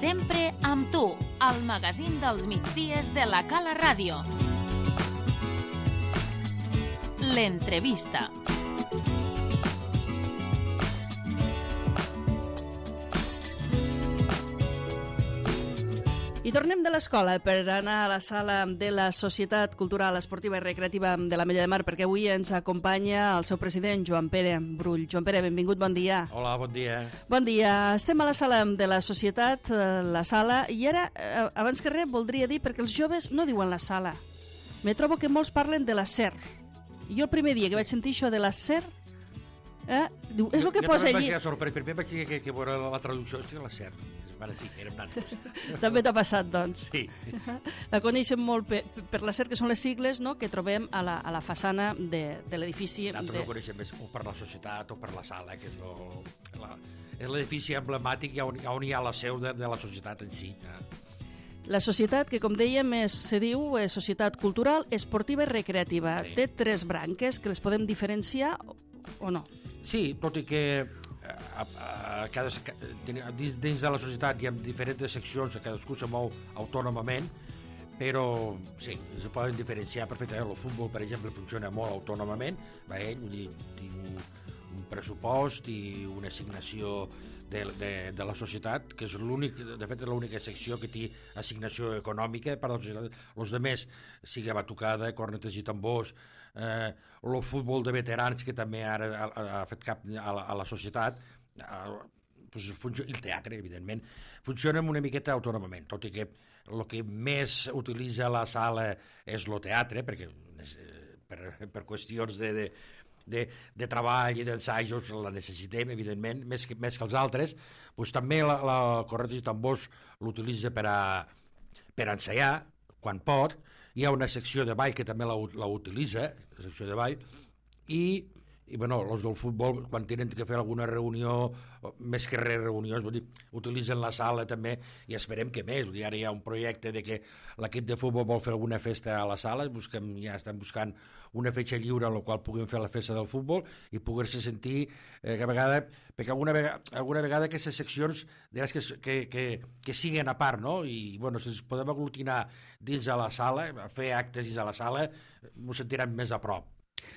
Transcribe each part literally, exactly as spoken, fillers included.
Sempre amb tu, al magazín dels migdies de la Cala Ràdio. L'entrevista. I tornem de l'escola per anar a la sala de la Societat Cultural, Esportiva i Recreativa de l'Ametlla de Mar, perquè avui ens acompanya el seu president, Joan Pere Brull. Joan Pere, benvingut, bon dia. Hola, bon dia. Bon dia. Estem a la sala de la Societat, la sala, i ara, abans que res, voldria dir, perquè els joves no diuen la sala. Me trobo que molts parlen de la SER. I jo el primer dia que vaig sentir això de la SER, eh, diu, és el que posa allí. Jo també vaig primer vaig dir que, que veure la traducció, hòstia, la SER. Bueno, sí, érem nanos. També t'ha passat, doncs. Sí. La coneixem molt per, per la SER, que són les sigles, no?, que trobem a la, a la façana de, de l'edifici. Nosaltres de... no coneixem més o per la societat o per la sala, que és lo, la, és l'edifici emblemàtic on, on hi ha la seu de, de la societat en si. La societat, que com dèiem, és, se diu és Societat Cultural, Esportiva i Recreativa. Sí. Té tres branques que les podem diferenciar o no? Sí, tot i que a, a, a cada, dins, dins de la societat hi ha diferents seccions, cadascú se mou autònomament, però sí, es poden diferenciar perfectament. El futbol, per exemple, funciona molt autònomament, va ell, vull dir, tinc un, un pressupost i una assignació de, de, de la societat, que és l'únic, de fet és l'única secció que té assignació econòmica per a la societat. Els altres, sigui batucada, cornetes i tambors, eh, el futbol de veterans, que també ara ha, ha fet cap a la, a la societat, eh, pues, el teatre, evidentment, funciona una miqueta autònomament, tot i que el que més utilitza la sala és el teatre, perquè per, per qüestions de, de De, de treball i d'ensajos la necessitem, evidentment, més que, més que els altres. Pues, també la, la cornetes i tambors l'utilitza per a, per a ensaiar, quan pot. Hi ha una secció de ball que també la, la utilitza, la secció de ball, i, i bueno, els del futbol, quan tenen que fer alguna reunió, més que res reunions, vull dir, utilitzen la sala també, i esperem que més. Vull dir, ara hi ha un projecte de que l'equip de futbol vol fer alguna festa a la sala, busquem, ja estan buscant una fetge lliure en la qual puguem fer la festa del futbol i poder-se sentir eh, que a vegada, perquè alguna vegada, alguna vegada aquestes seccions diràs que, que, que, que siguen a part, no? I bueno, si ens podem aglutinar dins de la sala, fer actes dins de la sala, ens sentiran més a prop.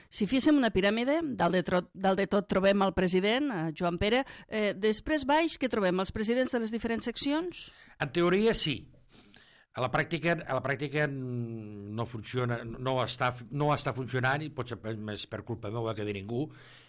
Si féssim una piràmide, dalt de, tro dalt de tot trobem el president, eh, Joan Pere, eh, després baix, què trobem? Els presidents de les diferents seccions? En teoria, sí. A la pràctica, a la pràctica no funciona, no està, no està funcionant, i potser més per culpa meva que de ningú.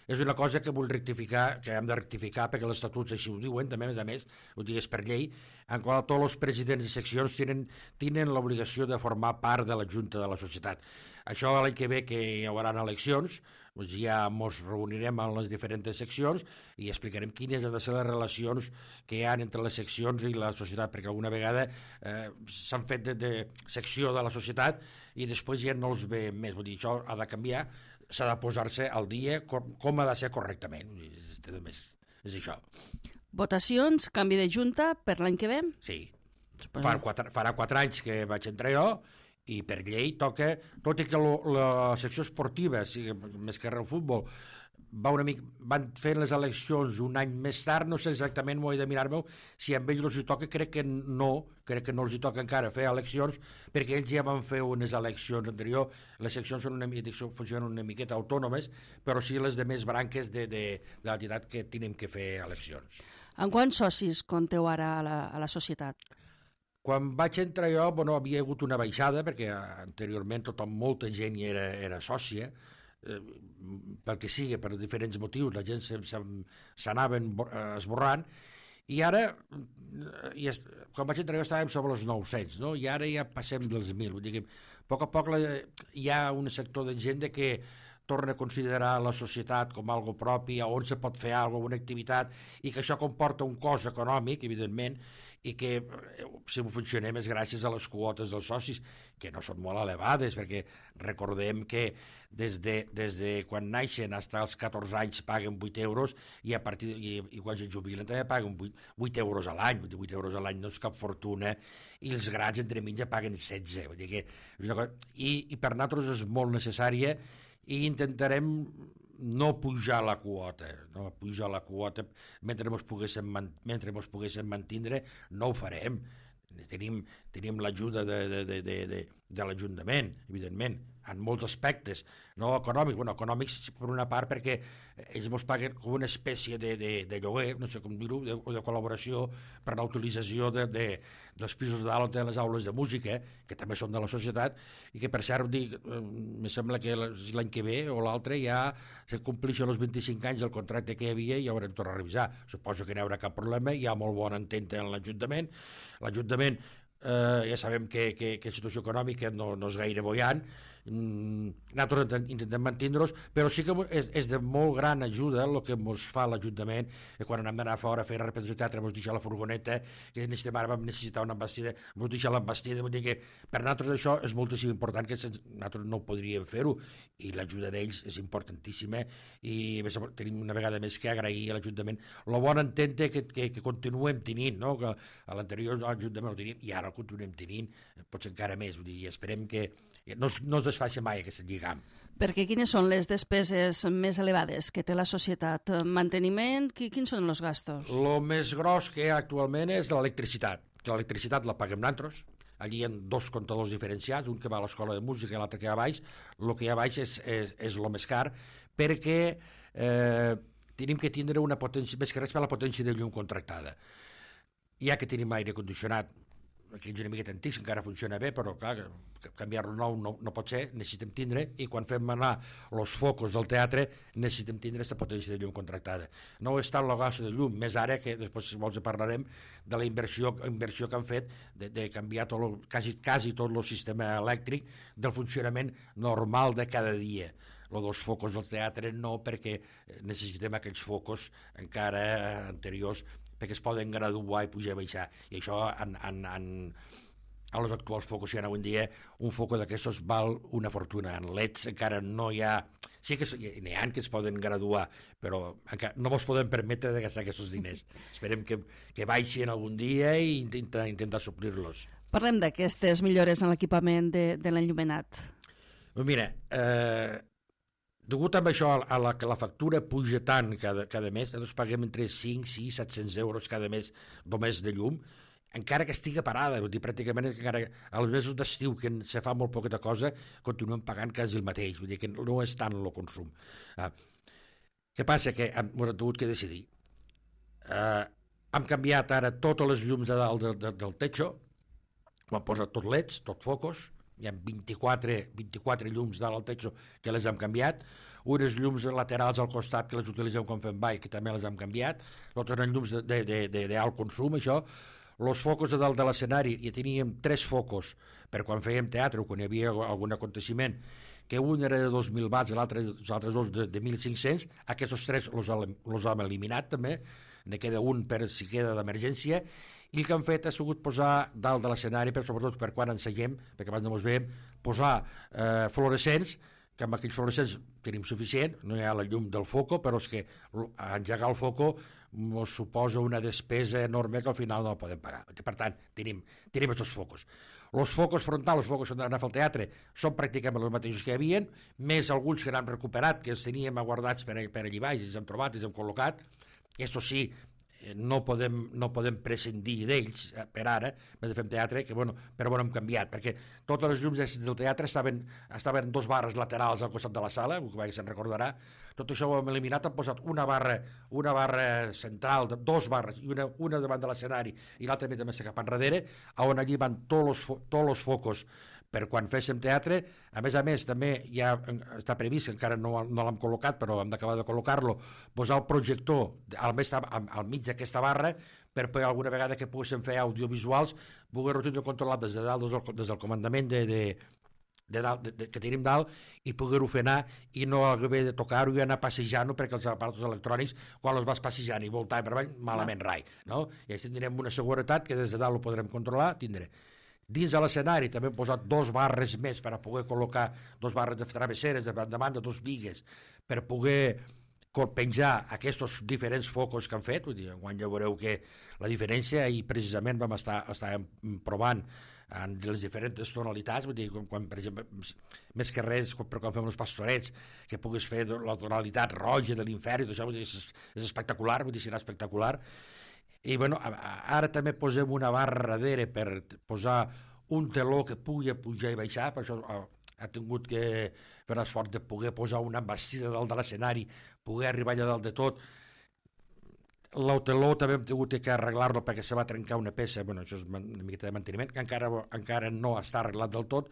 És una cosa que vull rectificar, que hem de rectificar, perquè els estatuts així ho diuen, també, a més a més, ho digues per llei, en qual tots els presidents de seccions tenen, tenen l'obligació de formar part de la Junta de la Societat. Això l'any que ve, que hi haurà eleccions, doncs ja ens reunirem en les diferents seccions i explicarem quines han de ser les relacions que hi ha entre les seccions i la societat, perquè alguna vegada eh, s'han fet de, de secció de la societat i després ja no els ve més. Vull dir, això ha de canviar, s'ha de posar-se al dia com, com ha de ser correctament. Vull dir, és, és això. Votacions, canvi de junta per l'any que ve? Sí. Farà quatre, farà quatre anys que vaig entrar jo, i per llei toca, tot i que lo, la secció esportiva, sigui, més que el futbol, va una mica, van fer les eleccions un any més tard, no sé exactament, m'ho he de mirar-me, si a ells els hi toca, crec que no, crec que no els hi toca encara fer eleccions, perquè ells ja van fer unes eleccions anteriors, les seccions són una mica, funcionen una miqueta autònomes, però sí les de més branques de, de, de l'entitat que tenen que fer eleccions. En quants socis compteu ara a la, a la societat? Quan vaig entrar jo, bueno, havia hagut una baixada, perquè anteriorment tothom, molta gent hi era, era sòcia, eh, pel que sigui, per diferents motius, la gent s'anaven esborrant, i ara, i es, quan vaig entrar jo estàvem sobre els nou-cents, no? I ara ja passem dels mil, vull dir que a poc a poc la, hi ha un sector de gent de que torna a considerar la societat com algo propi, on se pot fer alguna activitat, i que això comporta un cost econòmic, evidentment, i que si funcionem és gràcies a les quotes dels socis, que no són molt elevades, perquè recordem que des de, des de quan naixen fins als catorze anys paguen vuit euros i, a partir, i, i quan se jubilen també paguen vuit euros a l'any, vuit euros a l'any no és cap fortuna, i els grans entre mitja paguen setze, vull dir que és una cosa, i, i per nosaltres és molt necessària, i intentarem no pujar la quota, no pujar la quota mentre ens poguéssim, mentre ens poguéssim mantindre, no ho farem. Tenim, tenim l'ajuda de, de, de, de, de, de l'Ajuntament, evidentment, en molts aspectes, no econòmics, bueno, econòmics per una part perquè ells ens paguen com una espècie de, de, de lloguer, no sé com dir-ho, de, o de col·laboració per la utilització de, de, dels pisos de dalt de les aules de música, que també són de la societat, i que per cert, dic, eh, me sembla que l'any que ve o l'altre ja se complixen els vint-i-cinc anys del contracte que hi havia i ja haurem tornat a revisar. Suposo que no hi haurà cap problema, hi ha molt bona entente en l'Ajuntament. L'Ajuntament eh, ja sabem que, que, que la situació econòmica no, no és gaire boiant, nosaltres intentem mantenir-los, però sí que és, és de molt gran ajuda el que ens fa l'Ajuntament, que quan anem d'anar fora a fer la representació de teatre ens deixa la furgoneta, que necessitem ara vam necessitar una embastida, ens deixa l'embastida, vull dir que per nosaltres això és moltíssim important, que sense, nosaltres no podríem fer-ho, i l'ajuda d'ells és importantíssima, i tenim una vegada més que agrair a l'Ajuntament el bon entente que, que, que continuem tenint, no? Que a l'anterior Ajuntament ho tenim i ara el continuem tenint, potser encara més, vull dir, i esperem que no, no es desfaci mai aquest lligam. Perquè quines són les despeses més elevades que té la societat? Manteniment, quins són els gastos? El més gros que hi ha actualment és l'electricitat, que l'electricitat la paguem nosaltres. Allí hi ha dos comptadors diferenciats, un que va a l'escola de música i l'altre que hi ha a baix. El que hi ha a baix és, és, és el més car, perquè eh, tenim que tindre una potència, més que res per la potència de llum contractada. Ja que tenim aire condicionat, que és una miqueta antic, encara funciona bé, però clar, canviar-lo nou no, no pot ser, necessitem tindre, i quan fem anar els focus del teatre necessitem tindre aquesta potència de llum contractada. No és tant el gast de llum, més ara que després si vols parlarem de la inversió, inversió que han fet de, de canviar tot lo, quasi, quasi tot el sistema elèctric del funcionament normal de cada dia. Lo dels focus del teatre no, perquè necessitem aquells focus encara anteriors perquè es poden graduar i pujar i baixar, i això en, en, en, a els actuals focus que hi ha avui en dia, un foco d'aquestos val una fortuna. En L E Ds encara no hi ha, sí que n'hi ha que es poden graduar, però encara no ens podem permetre de gastar aquests diners. Esperem que, que baixin algun dia i intentar, intentar suplir-los. Parlem d'aquestes millores en l'equipament de, de l'enllumenat. Mira, eh, degut amb això a la que la factura puja tant cada, cada mes, nosaltres paguem entre cinc, sis, set-cents euros cada mes només de llum, encara que estigui parada, vull dir, pràcticament encara als mesos d'estiu, que se fa molt poqueta cosa, continuem pagant quasi el mateix, vull dir que no és tant el consum. Ah, què passa? Que hem, hem hagut que decidir. Eh, hem canviat ara totes les llums de dalt de, de, del techo, ho hem posat tot L E Ds, tot focus, hi ha vint-i-quatre, vint-i-quatre llums dalt al techo que les hem canviat, unes llums laterals al costat que les utilitzem quan fem ball, que també les hem canviat, altres eren llums d'alt consum, això. Els focus de dalt de l'escenari, ja teníem tres focus per quan fèiem teatre o quan hi havia algun aconteciment, que un era de dos mil watts i els altres dos de, de mil cinc-cents, aquests tres els hem eliminat també, ne queda un per si queda d'emergència, i el que han fet ha sigut posar dalt de l'escenari, però sobretot per quan ensenyem, perquè abans no ens veiem, posar eh, fluorescents, que amb aquells fluorescents tenim suficient, no hi ha la llum del foco, però és que engegar el foco ens suposa una despesa enorme que al final no la podem pagar. Per tant, tenim, tenim aquests focus. Els focus frontals, els focus que han anat al teatre, són pràcticament els mateixos que hi havia, més alguns que n'han recuperat, que els teníem aguardats per, per allà baix, i els hem trobat, i els hem col·locat. Això sí, no podem, no podem prescindir d'ells per ara, més de fem teatre, que, bueno, però bueno, hem canviat, perquè totes les llums del teatre estaven, estaven dos barres laterals al costat de la sala, que se'n recordarà, tot això ho hem eliminat, hem posat una barra, una barra central, de, dos barres, i una, una davant de l'escenari i l'altra també cap enrere, on allí van tots els focus per quan féssim teatre. A més a més, també ja està previst, encara no, no l'hem col·locat, però hem d'acabar de col·locar-lo, posar el projector al, mes, al, al mig d'aquesta barra, per poder alguna vegada que poguéssim fer audiovisuals, poder-ho tenir controlat des de dalt, des del, des del comandament de, de, de dalt, de, de, que tenim dalt, i poder-ho fer anar, i no haver de tocar-ho i anar passejant-ho, perquè els aparatos electrònics, quan els vas passejant i voltant per avall, malament rai, no? I així tindrem una seguretat que des de dalt ho podrem controlar, tindré. Dins de l'escenari també hem posat dos barres més per a poder col·locar dos barres de travesseres de banda, dos bigues, per poder penjar aquests diferents focus que han fet. Vull dir, quan ja veureu que la diferència, i precisament vam estar, estar provant en les diferents tonalitats, vull dir, quan, quan per exemple, més que res, quan, quan fem els pastorets, que puguis fer la tonalitat roja de l'infern, i tot això, vull dir, és, és espectacular, vull dir, serà espectacular. I bueno, ara també posem una barra darrere per posar un teló que pugui pujar i baixar, per això ha, ha tingut que fer l'esforç de poder posar una embastida dalt de l'escenari, poder arribar allà dalt de tot. L'auteló també hem tingut que arreglar-lo perquè se va trencar una peça, bueno, això és una miqueta de manteniment, que encara, encara no està arreglat del tot.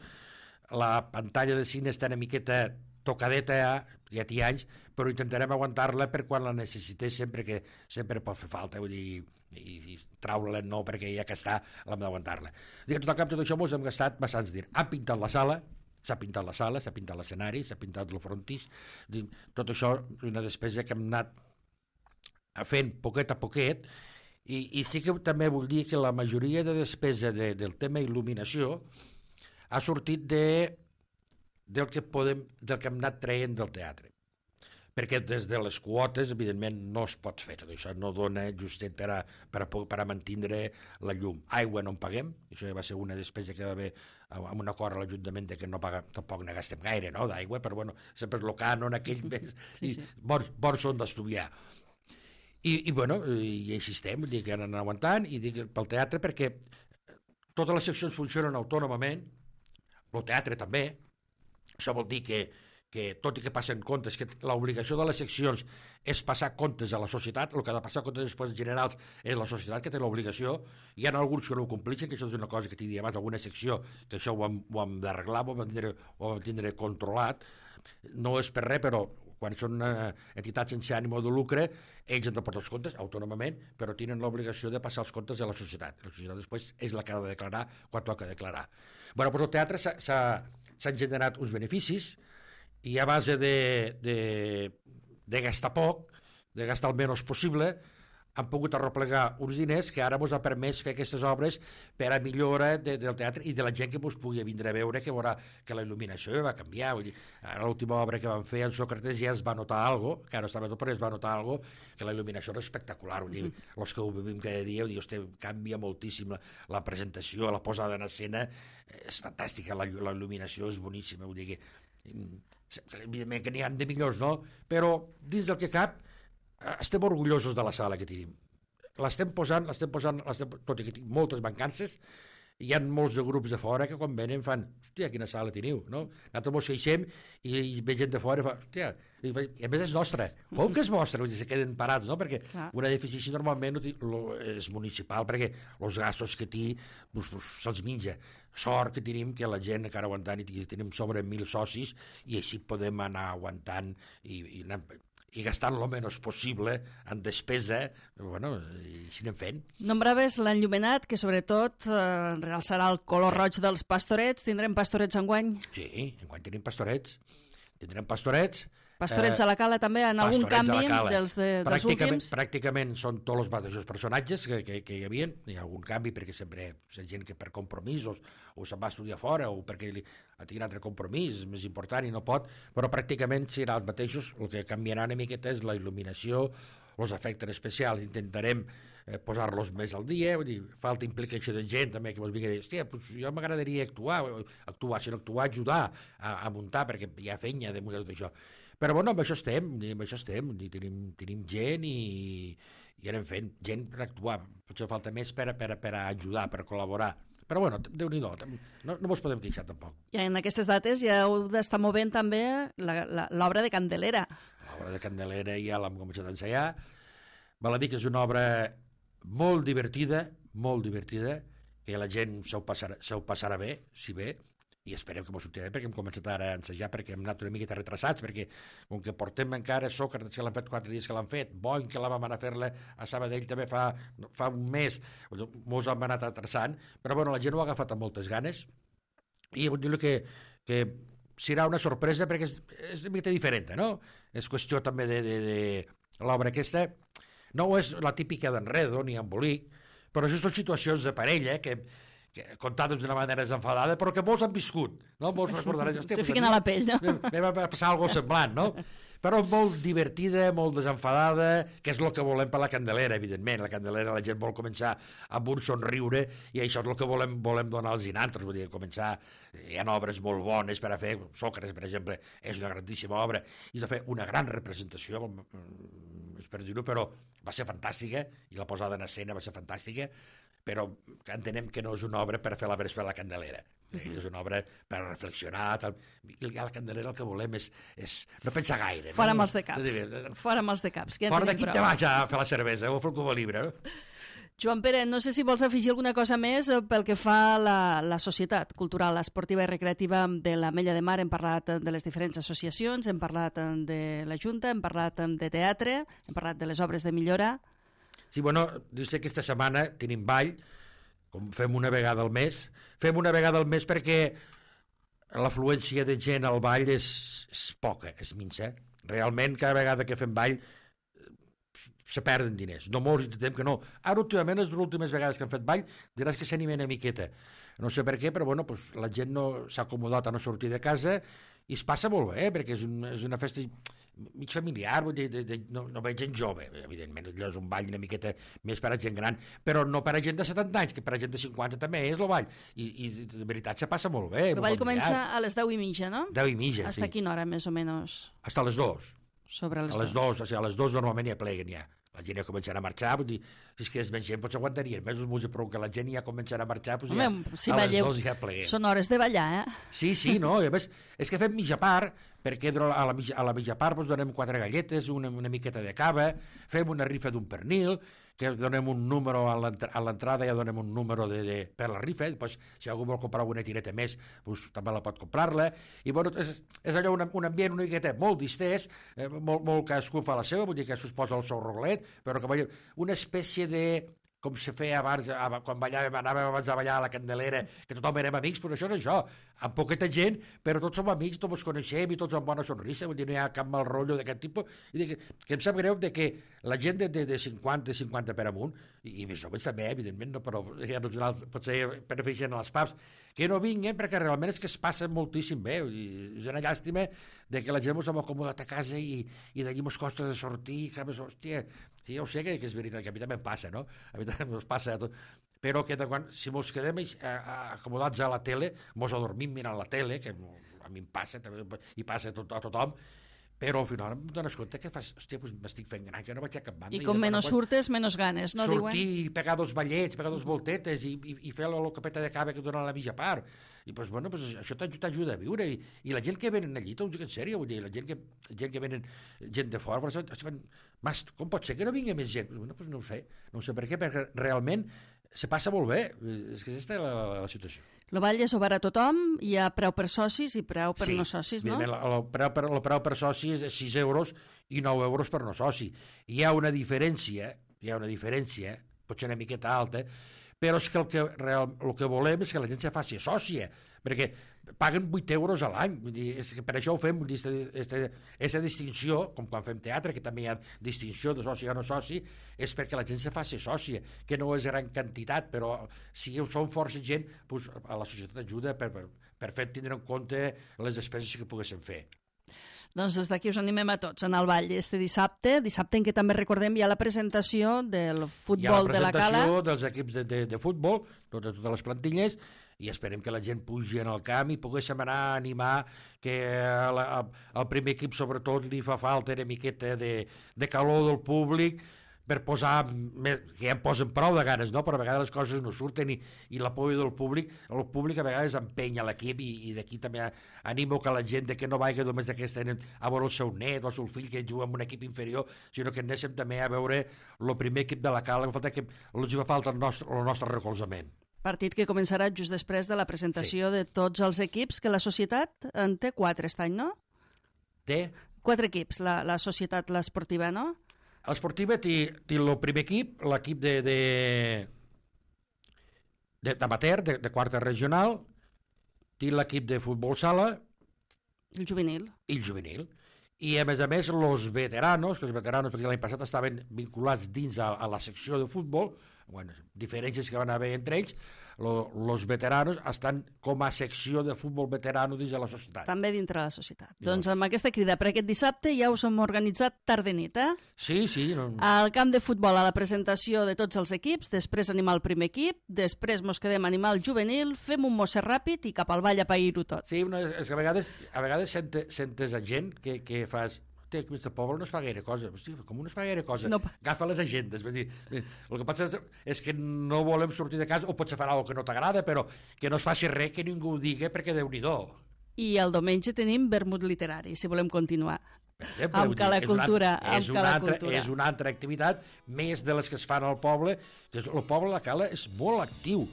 La pantalla de cine està una miqueta tocadeta ja, ja té anys, però intentarem aguantar-la per quan la necessités, sempre que sempre pot fer falta, vull dir, i, i traure-la no, perquè ja que està, l'hem d'aguantar-la. Dic, tot al cap, tot això ens hem gastat bastants diners. Han pintat la sala, s'ha pintat la sala, s'ha pintat l'escenari, s'ha pintat el frontis, tot això és una despesa que hem anat fent poquet a poquet, i, i sí que també vull dir que la majoria de despesa de, del tema il·luminació ha sortit de, del, que podem, del que hem anat traient del teatre. Perquè des de les quotes, evidentment, no es pot fer tot això, no dona justet per a, per a, per a mantindre la llum. Aigua no en paguem, això ja va ser una despesa que va haver amb un acord a l'Ajuntament que no paga, tampoc ne gastem gaire, no?, d'aigua, però bueno, sempre és el cànon aquell mes, sí, sí. i bons, bons són d'estudiar. I, i bueno, i així estem, vull dir que anen aguantant, i dic pel teatre perquè totes les seccions funcionen autònomament, el teatre també, això vol dir que, que tot i que passen comptes, que l'obligació de les seccions és passar comptes a la societat, el que ha de passar comptes després generals és la societat que té l'obligació, hi ha alguns que no ho complixen, que això és una cosa que t'hi dia abans, alguna secció, que això ho hem, ho hem d'arreglar, ho hem de tindre, ho hem de tindre controlat, no és per res, però quan són uh, entitats sense ànim de lucre, ells han de portar els comptes autònomament, però tenen l'obligació de passar els comptes a la societat. La societat després és la que ha de declarar quan toca declarar. Bueno, doncs el teatre s'han generat uns beneficis i a base de, de, de gastar poc, de gastar el menys possible, han pogut arreplegar uns diners que ara ens ha permès fer aquestes obres per a millora de, del teatre i de la gent que ens pugui vindre a veure, que veurà que la il·luminació va canviar. Vull dir, ara l'última obra que van fer en Sòcrates ja es va notar alguna cosa, que ara estava tot, però es va notar alguna cosa, que la il·luminació era espectacular. Vull dir, mm-hmm. els que ho vivim cada dia, vull dir, hosti, canvia moltíssim la, la presentació, la posada en escena, és fantàstica, la, la il·luminació és boníssima, vull dir que, evidentment que n'hi ha de millors, no? Però dins del que cap, estem orgullosos de la sala que tenim. L'estem posant, l'estem posant, l'estem, tot i que tinc moltes mancances, hi ha molts de grups de fora que quan venen fan, hòstia, quina sala teniu, no? Nosaltres mos queixem i, i ve gent de fora i fa, hòstia, i, i a més és nostra. Com que és vostra? Vull dir, se queden parats, no? Perquè clar, un edifici normalment és municipal, perquè els gastos que té pues, pues, se'ls menja. Sort que tenim que la gent encara aguantant i tenim sobre mil socis i així podem anar aguantant i, i anar i gastant el menys possible en despesa, bueno, i així anem fent. Nombraves l'enllumenat, que sobretot eh, realçarà el color sí. roig dels pastorets. Tindrem pastorets enguany? Sí, enguany tenim pastorets. Tindrem pastorets. Pastorets eh, a la Cala també, en algun canvi dels, de, dels últims? Pràcticament són tots els mateixos personatges que, que, que hi havia. Hi ha algun canvi perquè sempre hi ha gent que per compromisos o se'n va estudiar fora o perquè li, ha tingut un altre compromís més important i no pot, però pràcticament serà els mateixos. El que canviarà una miqueta és la il·luminació, els efectes especials. Intentarem eh, posar-los més al dia, vull dir, falta implicació de gent també que vos vingui a dir, hòstia, pues jo m'agradaria actuar, actuar, si no actuar, ajudar a, a muntar, perquè hi ha fenya de muntar tot això. Però bueno, amb això estem, amb això estem, tenim, tenim gent i, i anem fent gent per actuar, potser falta més per, per, per ajudar, per col·laborar. Però bueno, Déu-n'hi-do, no, no mos podem queixar tampoc. I en aquestes dates ja heu d'estar movent també l'obra de Candelera. L'obra de Candelera ja l'hem començat a ensenyar. Val a dir que és una obra molt divertida, molt divertida, que la gent se ho passarà, se ho passarà bé, si bé, i esperem que m'ho sortirà bé, perquè hem començat ara a ensejar, perquè hem anat una miqueta retrasats, perquè com que portem encara Sòcrates, que l'han fet quatre dies que l'han fet, Boing, que la vam anar a fer-la a Sabadell també fa, fa un mes, mos hem anat atrasant, però bueno, la gent ho ha agafat amb moltes ganes, i vull dir que, que serà una sorpresa, perquè és, és una miqueta diferent, no? És qüestió també de, de, de l'obra aquesta, no és la típica d'enredo ni embolic, però això són situacions de parella que contades d'una manera desenfadada, però que molts han viscut, no? Molts recordaran... Se fiquen a la pell, no? Me va passar alguna cosa semblant, no? però molt divertida, molt desenfadada, que és el que volem per la Candelera, evidentment. La Candelera la gent vol començar amb un somriure i això és el que volem, volem donar als inantres, vull dir, començar, hi ha obres molt bones per a fer, Sòcrates, per exemple, és una grandíssima obra, i de fer una gran representació, és per dir-ho, però va ser fantàstica, i la posada en escena va ser fantàstica, però entenem que no és una obra per fer la vespre a la Candelera. Uh-huh. És una obra per reflexionar, tal. I a la Candelera el que volem és, és no pensar gaire. Fora no? amb els de caps. Fora amb els de caps. Ja fora d'aquí te vaig a fer la cervesa o a fer el Cuba Libre. No? Joan Pere, no sé si vols afegir alguna cosa més pel que fa a la, la societat cultural, esportiva i recreativa de l'Ametlla de Mar. Hem parlat de les diferents associacions, hem parlat de la Junta, hem parlat de teatre, hem parlat de les obres de millora. Sí, bueno, dius que aquesta setmana tenim ball, com fem una vegada al mes. Fem una vegada al mes perquè l'afluència de gent al ball és, és poca, és minsa. Realment, cada vegada que fem ball se perden diners. No molts intentem que no. Ara, últimament, les últimes vegades que hem fet ball, diràs que s'anima una miqueta. No sé per què, però bueno, pues, la gent no s'ha acomodat a no sortir de casa i es passa molt bé, perquè és, un, és una festa mig familiar, vull dir, de, de, no, no veig gent jove, evidentment, allò és un ball una miqueta més per a gent gran, però no per a gent de setanta anys, que per a gent de cinquanta també és el ball, i, i de veritat se passa molt bé. El ball comença a les deu i mitja, no? Deu i mitja, Hasta sí. quina hora, més o menys? Hasta les dos. Sobre les a les dos. dos, o sigui, a les dos normalment ja pleguen ja. La gent ja començarà a marxar, vull dir, si és que és més gent, potser aguantarien més els músics, però que la gent ja començarà a marxar, doncs ja, Home, si a balleu, les dos ja pleguem. Són hores de ballar, eh? Sí, sí, no, i a més, és que fem mitja part, perquè a la mitja, a la mitja part doncs, donem quatre galletes, una, una miqueta de cava, fem una rifa d'un pernil, que donem un número a l'entrada, ja donem un número de, de, per la rifa, doncs, si algú vol comprar una tireta més, doncs, també la pot comprar-la, i bueno, és, és allò un, un ambient una miqueta molt distès, eh, molt, molt cadascú fa la seva, vull dir que cadascú es posa el seu rolet, però que veiem una espècie de com se feia abans, quan ballàvem, anàvem abans a ballar a la Candelera, que tothom érem amics, però això és això, amb poqueta gent, però tots som amics, tots ens coneixem i tots amb bona sonrisa, vull dir, no hi ha cap mal rotllo d'aquest tipus, i que, que em sap greu de que la gent de, de, de cinquanta, cinquanta per amunt, i, i més joves també, evidentment, no, però ja, potser prefereixen a les pubs, que no vinguin perquè realment és que es passa moltíssim bé, i és una llàstima de que la gent ens hem acomodat a casa i, i d'allí ens costa de sortir, que, hòstia, sí, ja ho sé que, que és veritat, que a mi també em passa, no? A mi també ens passa tot. Però que de quan, si ens quedem acomodats a la tele, ens adormim mirant la tele, que a mi em passa, també, i passa a, tot, a tothom, però al final em dones compte que fas, hòstia, pues m'estic fent gran, que no vaig a cap banda. I com menys surtes, menys ganes, no sortir, diuen? Sortir, pegar dos ballets, pegar dos voltetes i, i, i fer la copeta de cava que dona la mitja part. I pues, bueno, pues, això t'ajuda a viure. I, i la gent que venen allí, t'ho dic en sèrio, vull dir, la gent que, gent que venen, gent de fora, pues, fan, mas, com pot ser que no vingui més gent? Pues, bueno, pues no ho sé, no ho sé per què, perquè realment se passa molt bé, és que aquesta és la, la, la situació. El ball és obert a tothom, hi ha preu per socis i preu per sí, no socis, no? Sí, el preu per, el preu per socis és sis euros i nou euros per no soci. Hi ha una diferència, hi ha una diferència, potser una miqueta alta, però és que el que, real, el que volem és que la gent se faci sòcia, perquè paguen vuit euros a l'any, és que per això ho fem, aquesta distinció, com quan fem teatre, que també hi ha distinció de soci o no soci, és perquè la gent se faci sòcia, que no és gran quantitat, però si som força gent, doncs a la societat ajuda per, per, per fer tindre en compte les despeses que poguéssim fer. Doncs des d'aquí us animem a tots en el ball este dissabte, dissabte en què també recordem hi ha la presentació del futbol de la Cala. Hi ha la presentació dels equips de, de, de futbol, de totes les plantilles, i esperem que la gent pugi en el camp i poguéssim anar a animar que al primer equip sobretot li fa falta una miqueta de, de calor del públic per posar, més, que ja em posen prou de ganes, no? Però a vegades les coses no surten i, i l'apoyo del públic, el públic a vegades empenya l'equip i, i d'aquí també animo que la gent de que no vagi només d'aquesta a veure el seu net o el seu fill que juga en un equip inferior, sinó que anéssim també a veure el primer equip de la Cala, que falta que els fa falta el nostre, el nostre recolzament. Partit que començarà just després de la presentació sí. de tots els equips, que la societat en té quatre aquest any, no? Té? Quatre equips, la, la societat, l'esportiva, no? L'esportiva té, té el primer equip, l'equip de, de, de, d'amateur, de, de quarta regional, té l'equip de futbol sala... El juvenil. I el juvenil. I a més a més, els veteranos, que els veteranos, perquè l'any passat estaven vinculats dins a, a la secció de futbol, bueno, diferències que van haver entre ells, els veteranos estan com a secció de futbol veterano dins de la societat. També dintre de la societat. I doncs amb aquesta crida per aquest dissabte ja us hem organitzat tarda i nit, eh? Sí, sí. No... Al camp de futbol, a la presentació de tots els equips, després animar el primer equip, després mos quedem a animar el juvenil, fem un mosser ràpid i cap al ball a pair-ho tot. Sí, no, és que a vegades, a vegades sentes, sentes a gent que, que fas... Aquest poble no es fa gaire cosa. Hosti, com no es fa gaire cosa? No. Agafa les agendes. Vull dir, el que passa és que no volem sortir de casa, o potser farà alguna que no t'agrada, però que no es faci res que ningú ho digui, perquè Déu-n'hi-do. I el diumenge tenim vermut literari, si volem continuar. Per exemple, amb Cala Cultura. És una, altra, és una altra activitat, més de les que es fan al poble. El poble de la Cala és molt actiu.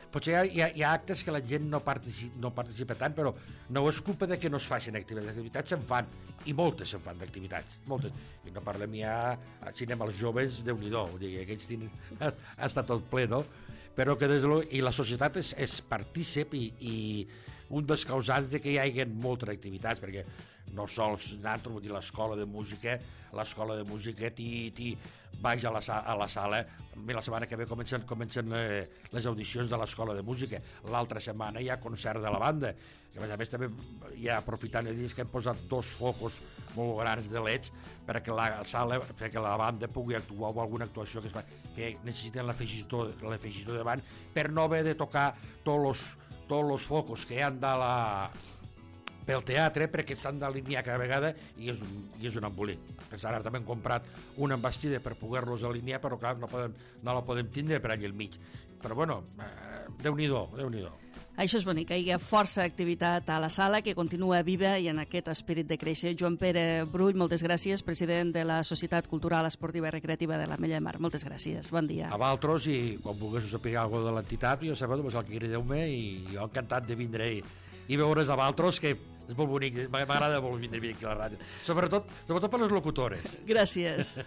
Potser hi ha, hi, ha, hi ha actes que la gent no participa, no participa tant, però no és culpa de que no es facin activitats. Les activitats se'n fan, i moltes se'n fan d'activitats, moltes. I no parlem ja, si anem als joves, Déu-n'hi-do, vull dir, aquells tenen, ha, ha estat tot ple, no? Però que des de lo, i la societat és, és partícip i, i un dels causants de que hi hagi moltes activitats, perquè no sols nosaltres, vull dir, l'escola de música, l'escola de música t'hi, t'hi vaig a la, a la sala, la setmana que ve comencen, comencen les audicions de l'escola de música, l'altra setmana hi ha concert de la banda, que a més a més també ja aprofitant el dia que hem posat dos focus molt grans de leds perquè la sala, perquè la banda pugui actuar o alguna actuació que, es fa, que necessiten l'afegitó davant per no haver de tocar tots els tots els focus que hi ha de la... pel teatre, perquè s'han d'alinear cada vegada i és un, i és un embolic. Ara també hem comprat una embastida per poder-los alinear, però clar, no, podem, no la podem tindre per allà al mig. Però bueno, eh, Déu-n'hi-do, Déu-n'hi-do. Això és bonic, hi ha força activitat a la sala que continua viva i en aquest esperit de créixer. Joan Pere Brull, moltes gràcies, president de la Societat Cultural Esportiva i Recreativa de l'Ametlla de Mar. Moltes gràcies, bon dia. A vosaltres, i quan vulgueu saber alguna cosa de l'entitat, jo sabeu, doncs el que crideu-me i jo encantat de vindre i, i veure's a vosaltres, que és molt bonic, m'agrada molt vindre aquí a la ràdio. Sobretot, sobretot per les locutores. Gràcies.